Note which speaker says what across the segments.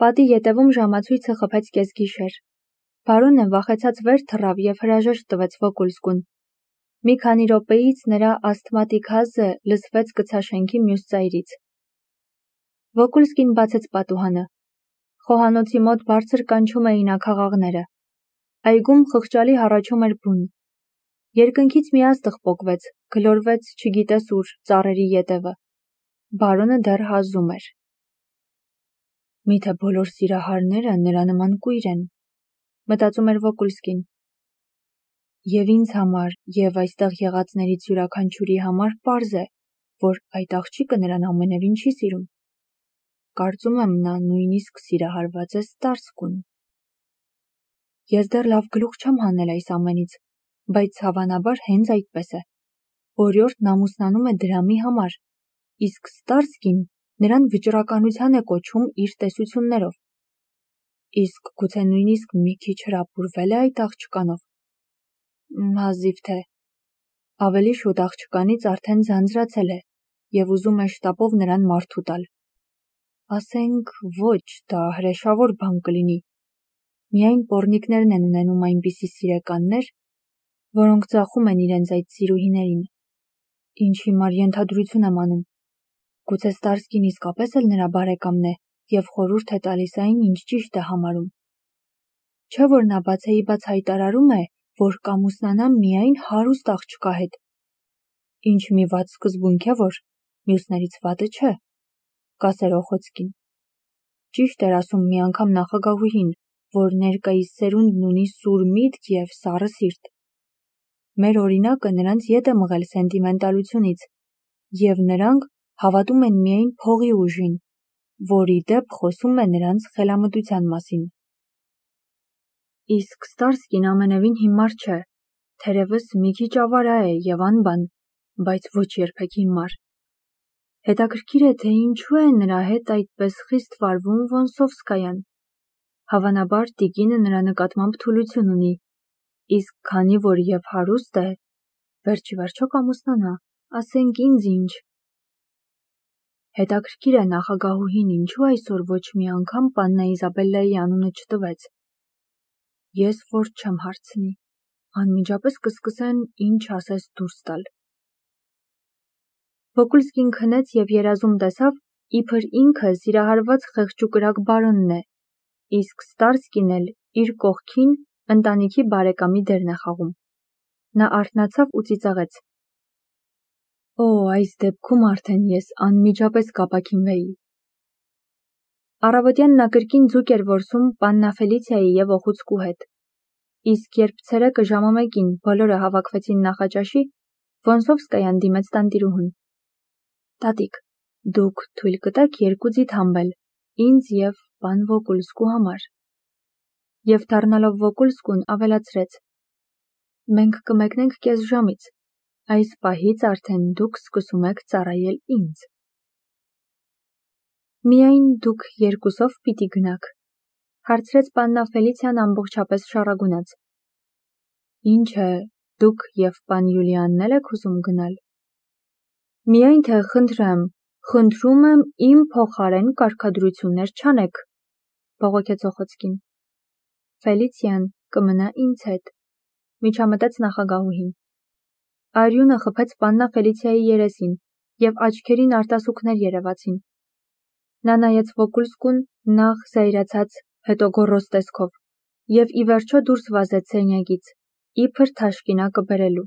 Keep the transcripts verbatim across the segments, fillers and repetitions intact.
Speaker 1: Պատի ետևում ժամացույցը խփեց կեսգիշեր։ Բարոնը վախեցած վեր թռավ և հրաժեշտ տվեց Վոկուլսկուն։ Մի քանի րոպեից նրա ասթմատիկ հազը լսվեց կցաշենքի մյուս ծայրից։ Վոկուլսկին բացեց պատուհանը։ Խոհանոցի մոտ բարձր կանչում էին աքաղաղները։ Այգում խղճալի հառաչում էր բուն։ Երկնքից մի աստղ պոկվեց, գլորվեց չգիտես ուր, ծառերի ետևը։ Բարոնը դեռ հազում էր։ Միթե բոլոր սիրահարները նրա նման կույր են, մտածում էր Վոկուլսկին։ Եվ ինձ համար, և այստեղ եղածներից յուրաքանչյուրի համար պարզ է, որ այդ աղջիկը նրան ամենևին չի սիրում։ Կարծում եմ, նա նույնիսկ սիրահարված է Ստարսկուն։ Ես դեռ լավ գլուխ չեմ հանել այս ամենից, բայց հավանաբար հենց այդպես է։ Օրիորդն ամուսնանում է դրամի համար, իսկ Ստարսկին նրան վճռականության է կոչում իր տեսություններով։ Իսկ գուցե նույնիսկ մի քիչ հրապուրվել է այդ աղջկանով։ Հազիվ թե։ Ավելի շուտ աղջկանից արդեն ձանձրացել է և ուզում է շտապով նրան մարդու տալ։ Ասենք ոչ, դա հրեշավոր բան կլինի։ Միայն պոռնիկներն են ունենում այնպիսի սիրեկաններ, որոնք ծախում են իրենց այդ սիրուհիներին։ Ինչ հիմար ենթադրություն եմ անում։ Գուցե Ստարսկին իսկապես էլ նրա բարեկամն է և խորհուրդ է տալիս այն, ինչ ճիշտ է համարում։ Չէ՞ որ նա բացեիբաց հայտարարում է, որ կամուսնանա միայն հարուստ աղջկա հետ։ Ինչ մի վատ սկզբունք է, որ մյուսներից վատը չէ, կասեր Օխոցկին։ Ճիշտ էր ասում մի անգամ նախագահուհին, որ ներկայիս սերունդն ունի սուր միտք և սառը սիրտ։ Մեր օրինակը նրանց ետ է մղել սենտիմենտալությունից, և նրանք հավատում են միայն փողի ուժին, որ ի դեպ խոսում է նրանց խելամտության մասին։ Իսկ Ստարսկին ամենևին հիմար չէ, թերևս մի քիչ ավարա է և անբան, բայց ոչ երբեք հիմար։ Հետաքրքիր է, թե ինչու է նրա հետ այդպես խիստ վարվում Վոնսովսկայան։ Հավանաբար տիկինը նրա նկատմամբ թուլություն ունի, իսկ քանի որ և հարուստ է, վերջիվերջո կամուսնանա, ասենք ինձ ինչ։ Հետաքրքիր է նախագահուհին ինչու այսօր ոչ մի անգամ պաննա Իզաբելլայի անունը չտվեց։ Ես որ չեմ հարցնի, անմիջապես կսկսեն ինչ ասես դուրս տալ։ Վոկուլսկին քնեց և երազում տեսավ, իբր ինքը սիրահարված խեղճուկրակ բարոնն է, իսկ Ստարսկին էլ իր կողքին ընտանիքի բարեկամի դերն է խաղում։ Նա արթնացավ ու ծիծաղեց։ Օ, այս դեպքում արդեն ես անմիջապես կապաքինվեի։ Առավոտյան նա կրկին ձուկ էր որսում պաննա Ֆելիցիայի և Օխուցկու հետ։ Իսկ երբ ցերեկը ժամը մեկին բոլորը հավաքվեցին նախաճաշի, Վոնսովսկայան դիմեց տանտիրուհուն։ Տատիկ, դուք թույլ կտեք երկու ձիթ համբել, ինձ և պան Վոկուլսկու համար։ Եվ դառնալով Վոկուլսկուն ավելացրեց. Մենք կմեկնենք կես ժամից, այս պահից արդեն դուք սկսում եք ծառայել ինձ։ Միայն դուք երկուսով պիտի գնաք, հարցրեց պաննա Ֆելիցիան ամբողջապես շառագունած։ Ինչ է, դուք և պան Յուլիանն էլ եք ուզում գնալ։ Միայն թե խնդրեմ, խնդրում եմ իմ փոխարեն կարգադրություններ չանեք, բողոքեց Օխոցկին։ Ֆելիցիան կմնա ինձ հետ, միջամտեց նախագահուհին։ Արյունը խփեց պաննա Ֆելիցիայի երեսին, և աչքերին արտասուքներ երևացին։ Նա նայեց Վոկուլսկուն նախ զայրացած, հետո գոռոզ տեսքով, և ի վերջո դուրս վազեց սենյակից, իբր թաշկինակը բերելու։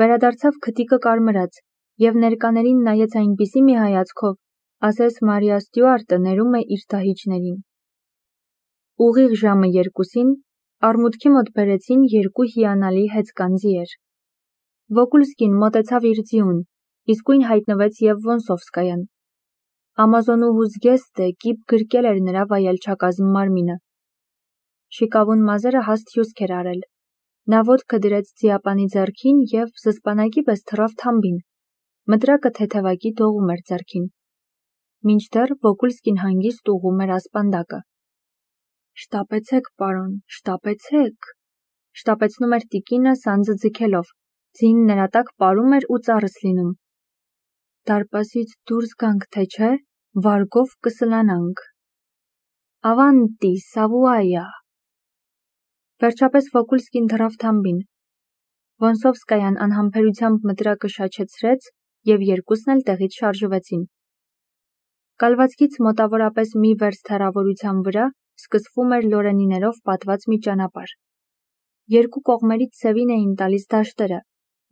Speaker 1: Վերադարձավ քթիկը կարմրած, և ներկաներին նայեց այնպիսի մի հայացքով, ասես Մարիա Ստյուարտը ներում է իր դահիճներին։ Ուղիղ ժամը երկուսին արմուտքի մոտ բերեցին երկու հիանալի հեծկան ձիեր։ Վոկուլսկին մոտեցավ իր ձիուն, իսկույն հայտնվեց և Վոնսովսկայան։ Ամազոնուհու զգեստը կիպ գրկել էր նրա վայելչակազմ մարմինը։ Շիկավուն մազերը հաստ հյուսք էր արել։ Նա ոտքը դրեց ձիապանի ձեռքին և զսպանակի պես թռավ թամբին։ Մտրակը թեթևակի դողում էր ձեռքին։ Մինչդեռ Վոկուլսկին հանգիստ ուղղում էր ասպանդակը։ Շտապեցեք, պարոն, շտապեցեք, շտապեցնում էր տիկինը սանձը ձգելով, ձին նրա տակ պարում էր ու ծառս լինում։ Դարպասից դուրս գանք, թե չէ, վարգով կսլանանք։ Ավանտի, Սավուայա։ Վերջապես Վոկուլսկին թռավ թամբին։ Վոնսովսկայան անհամբերությամբ մտրակը շաչեցրեց և երկուսն էլ տեղից շարժվեցին։ Կալվածքից մոտավորապես մի վերստ հեռավորության վրա սկսվում էր լորենիներով պատված մի ճանապարհ։ Երկու կողմերից սևին էին տալիս դաշտերը,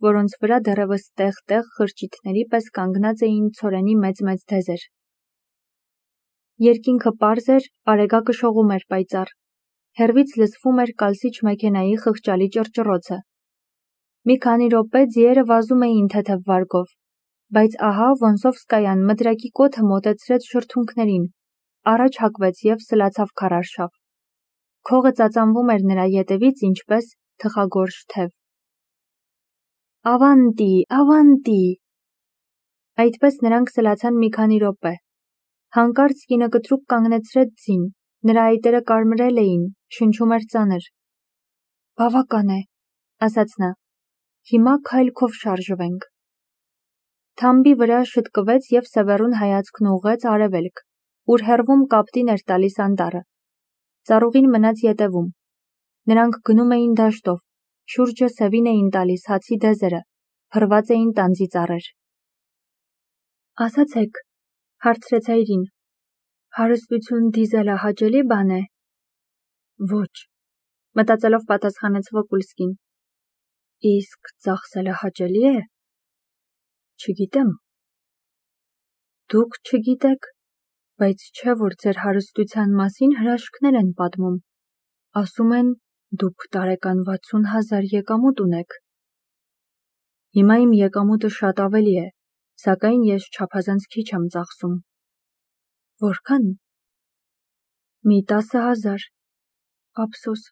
Speaker 1: որոնց վրա դեռևս տեղ-տեղ խրճիթների պես կանգնած էին ցորենի մեծ-մեծ թեզեր։ Երկինքը պարզ էր, արեգակը շողում էր պայծառ։ Հեռվից լսվում էր կալսիչ մեքենայի խղճալի ճռճռոցը։ Մի քանի րոպե ձիերը վազում էին թեթև վարգով, բայց ահա Վոնսովսկայան մտրակի կոթը մոտեցրեց շրթունքներին, առաջ հակվեց և սլացավ քարարշավ։ Քողը ծածանվում էր նրա ետևից ինչպես թխագորշ թև։ Ավանտի, ավանտի։ Այդպես նրանք սլացան մի քանի րոպե։ Հանկարծ կինը կտրուկ կանգնեցրեց ձին, նրա այտերը կարմրել էին, շնչում էր ծանր։ Բավական է, ասաց նա, հիմա քայլքով շարժվենք։ Թամբի վրա շտկվեց և Սևեռուն հայացքն ուղղեց արևելք, ուր հեռվում կապտին էր տալիս անտառը։ Ծառուղին մնաց ետևում։ Նրանք գնում էին դաշտով, շուրջը սևին էին տալիս հացի դեզերը, փռված էին տանձի ծառեր։ Ասացեք, հարցրեց հայրին, հարստություն դիզելը հաճելի բան է։ Ոչ, մտածելով պատասխանեց Վոկուլսկին։ Իսկ ծախսելը հաճելի է։ Չգիտեմ։ Դուք չգիտեք, բայց չէ որ ձեր հարստության մասին հրաշքներ են պատմում։ Ասում են, դուք տարեկան վաթսուն հազար եկամուտ ունեք։ Հիմա իմ եկամուտը շատ ավելի է, սակայն ես չափազանց քիչ եմ ծախսում։ Որքան։ Մի տասը հազար։ Ափսոս,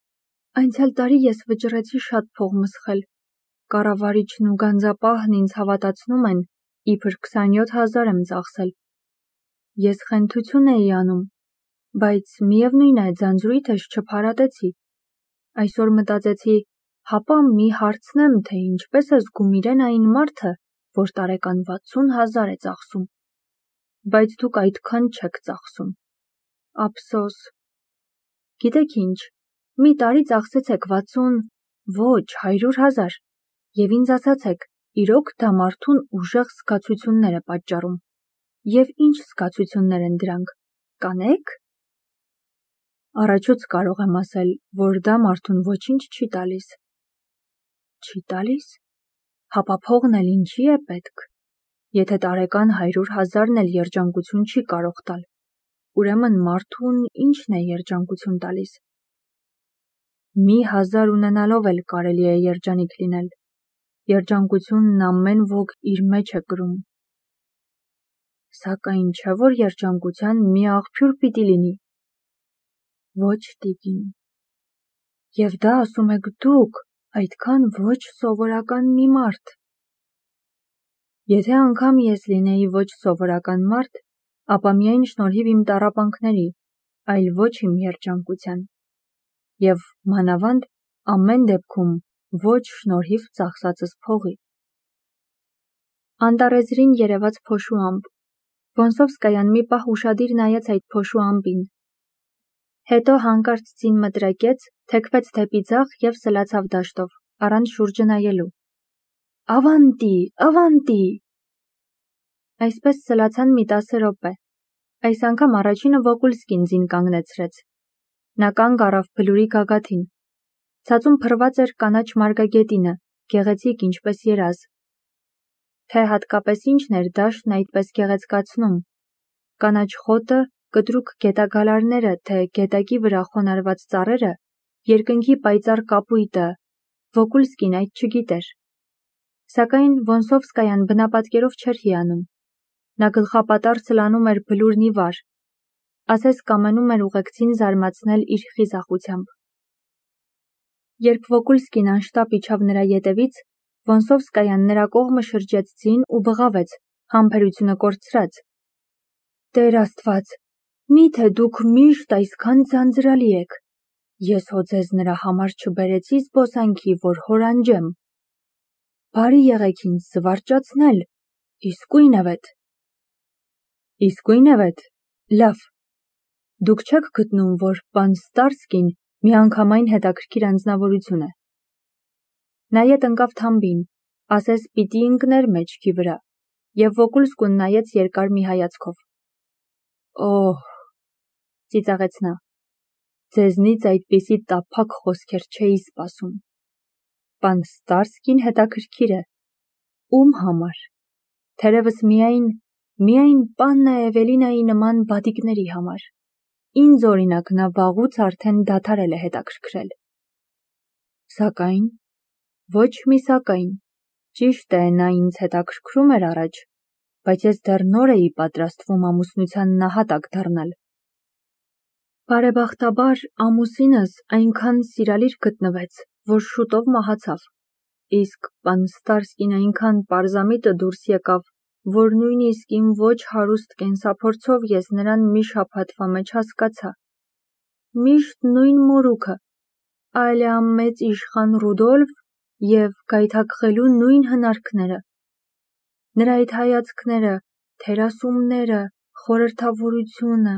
Speaker 1: անցյալ տարի ես վճռեցի շատ փող մսխել։ Կառավարիչն ու գանձապահն ինձ հավատացնում են, իբր քսանյոթ հազար եմ ծախսել։ Ես խենթություն էի անում, բայց միևնույն է ձանձրույթս չփարատեցի։ Այսօր մտածեցի, հապա մի հարցնեմ, թե ինչպես է զգում իրեն այն մարդը, որ տարեկան վաթսուն հազար է ծախսում։ Բայց դուք այդքան չեք ծախսում։ Ափսոս։ Գիտեք ինչ, մի տարի ծախսեցեք վաթսուն, ոչ, հարյուր հազար, և ինձ ասացեք, իրոք դա մարդուն ուժեղ զգացություններ է պատճառում։ Եվ ինչ զգացություններ են դրանք, կանեք։ Առաջուց կարող եմ ասել, որ դա մարդուն ոչինչ չի տալիս։ Չի տալիս։ Հապա փողն էլ ինչի է պետք։ Եթե տարեկան հարյուր հազարն էլ երջանկություն չի կարող տալ, ուրեմն մարդուն ինչն է երջանկություն տալիս։ Մի հազար ունենալով էլ կարելի է երջանիկ լինել։ Երջանկությունն ամեն ոք իր մեջ է կրում։ Սակայն չէ որ երջանկության մի աղբյուր պիտի լինի։ Ոչ, տիկին։ Եվ դա ասում եք դուք, այդքան ոչ սովորական մի մարդ։ Եթե անգամ ես լինեի ոչ սովորական մարդ, ապա միայն շնորհիվ իմ տառապանքների, այլ ոչ իմ երջանկության։ Եվ մանավանդ ամեն դեպքում ոչ շնորհիվ ծախսածս փողի։ Անտառեզրին երևաց փոշու ամպ։ Վոնսովսկայան մի պահ ուշադիր նայեց այդ փոշու ամպին։ Հետո հանկարծ ձին մտրակեց, թեքվեց դեպի ձախ և սլացավ դաշտով, առանց շուրջը նայելու։ Ավանտի, ավանտի։ Այսպես սլացան մի տասը րոպե։ Այս անգամ առաջինը Վոկուլսկին ձին կանգնեցրեց։ Նա կանգ առավ բլուրի գագաթին։ Ցածում փռված էր կանաչ մարգագետինը, գեղեցիկ ինչպես երազ։ Թե հատկապես ինչն էր դաշտն այդպես գեղեցկացնում։ Կանաչ խոտը, կտրուկ գետագալարները, թե գետակի վրա խոնարհված ծառերը, երկնքի պայծառ կապույտը, Վոկուլսկին այդ չգիտեր։ Սակայն Վոնսովսկայան բնապատկերով չէր հիանում։ Նա գլխապատառ սլանում էր բլուրն ի վար, ասես կամենում էր ուղեկցին զարմացնել իր խիզախությամբ։ Երբ Վոկուլսկին անշտապ իջավ նրա ետևից, Վոնսովսկայան նրա կողմը շրջեց ձին ու բղավեց, համբերությունը կորցրած. Տեր Աստված, միթե դուք միշտ այսքան ձանձրալի եք։ Ես հո ձեզ նրա համար չբերեցի զբոսանքի, որ հորանջեմ։ Բարի եղեք ինձ զվարճացնել, իսկույնևեթ։ Իսկույնևեթ, լավ։ Դուք չեք գտնում, որ պան Ստարսկին միանգամայն հետաքրքիր անձնավորություն է։ Նայետ ընկավ թամբին, ասես պիտի ընկներ մեջքի վրա, և Վոկուլսկուն նայեց երկար մի հայացքով։ Օհ, ծիծաղեց նա, ձեզնից այդպիսի տափակ խոսքեր չէի սպասում։ Պան Ստարսկին հետաքրքիր է։ Ում համար։ Թերևս միայն, միայն պաննա Էվելինայի նման բադիկների համար։ Ինձ օրինակ նա վաղուց արդեն դադարել է հետաքրքրել։ Սակայն, ոչ մի սակայն, ճիշտ է, նա ինձ հետաքրքրում էր առաջ, բայց ես դեռ նոր էի պատրաստվում ամուսնության նահատակ դառնալ։ Բարեբախտաբար, ամուսինս այնքան սիրալիր գտնվեց, որ շուտով մահացավ, իսկ պան Ստարսկին այնքան պարզամիտը դուրս եկավ, որ նույնիսկ իմ ոչ հարուստ կենսափորձով ես նրան մի շաբաթվա մեջ հասկացա։ Միշտ նույն մորուքը, այլեամեծ իշխան Ռուդոլֆ և գայթակղելու նույն հնարքները։ Նրա այդ հայացքները, թերասումները, խորհրդավորությունը,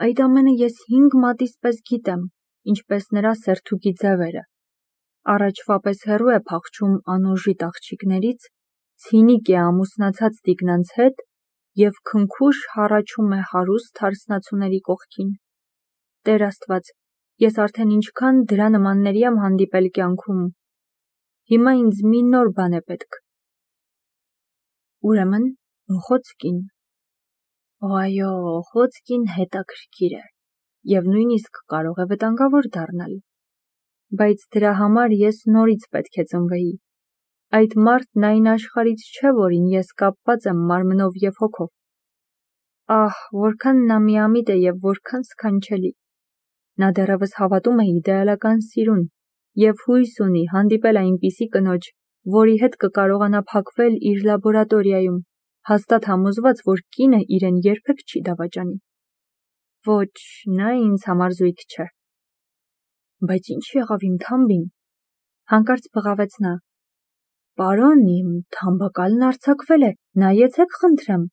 Speaker 1: այդ ամենը ես հինգ մատից պես գիտեմ, ինչպես նրա սերթուկի ձևերը։ Առաջվա պես հեռու է փախչում անօժիտ աղջիկներից, ցինիկ է ամուսնացած տիկնանց հետ և քնքուշ հառաչում է հարուստ հարսնացուների կողքին։ Տեր Աստված, ես արդեն ինչքան դրա նմանների եմ հանդիպել կյանքում։ Հիմա ինձ մի նոր բան է պետք։ Ուրեմն, Օխոցկին։ Այո, Օխոցկին հետաքրքիր է և նույնիսկ կարող է վտանգավոր դառնալ։ Բայց դրա համար ես նորից պետք է ծնվեի։ Այդ մարդն այն աշխարհից չէ, որին ես կապված եմ մարմնով և հոգով։ Ահ, որքան նա միամիտ է և որքան սքանչելի։ Նա դեռևս հավատում է իդեալական սիրուն և հույս ունի հանդիպել այնպիսի կնոջ, որի հետ կկարողանա փակվել իր լաբորատորիայում, հաստատ համոզված, որ կինը իրեն երբեք չի դավաճանի։ Ոչ, նա ինձ համար զույգ չէ։ Բայց ինչ եղավ իմ թամբին։ Հանկարծ բղավեց նա։ Պարոն, իմ թամբակալն արձակվել է, նայեցեք խնդրեմ։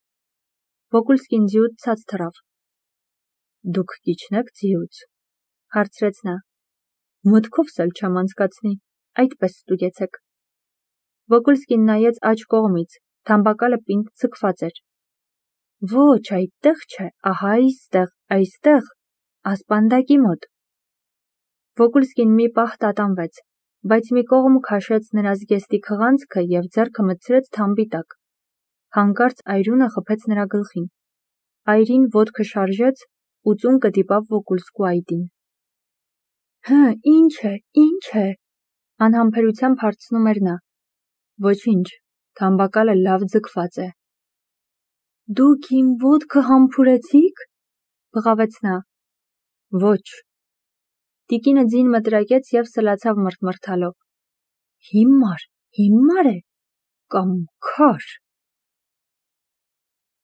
Speaker 1: Վոկուլսկին ձիուց ցած թռավ։ Դուք կիջնե՞ք ձիուց, հարցրեց նա։ Մտքովս էլ չեմ անցկացնի, այդպես ստուգեցեք։ Վոկուլսկին նայեց աջ կողմից, թամբակալը պինդ ձգված էր։ Ոչ, այդտեղ չէ, ահա այստեղ, այստեղ, ասպանդակի մոտ։ Վոկուլսկին մի պահ տատանվեց, բայց մի կողմ քաշեց նրա զգեստի քղանցքը և ձեռքը մտցրեց թամբի տակ։ Հանկարծ այրունը խփեց նրա գլխին։ Այրին ոտքը շարժեց ու ծունկը դիպավ Վոկուլսկու այտին։ Հը, ինչ է, ինչ է, անհամբերությամբ հարցնում էր նա։ Ոչինչ, թամբակալը լավ ձգված է։ Դուք իմ ոտքը համբուրեցի՞ք, բղավեց նա։ Ոչ։ Տիկինը ձին մտրակեց և սլացավ մռթմռթալով։ Հիմար, հիմար է, կամ քար։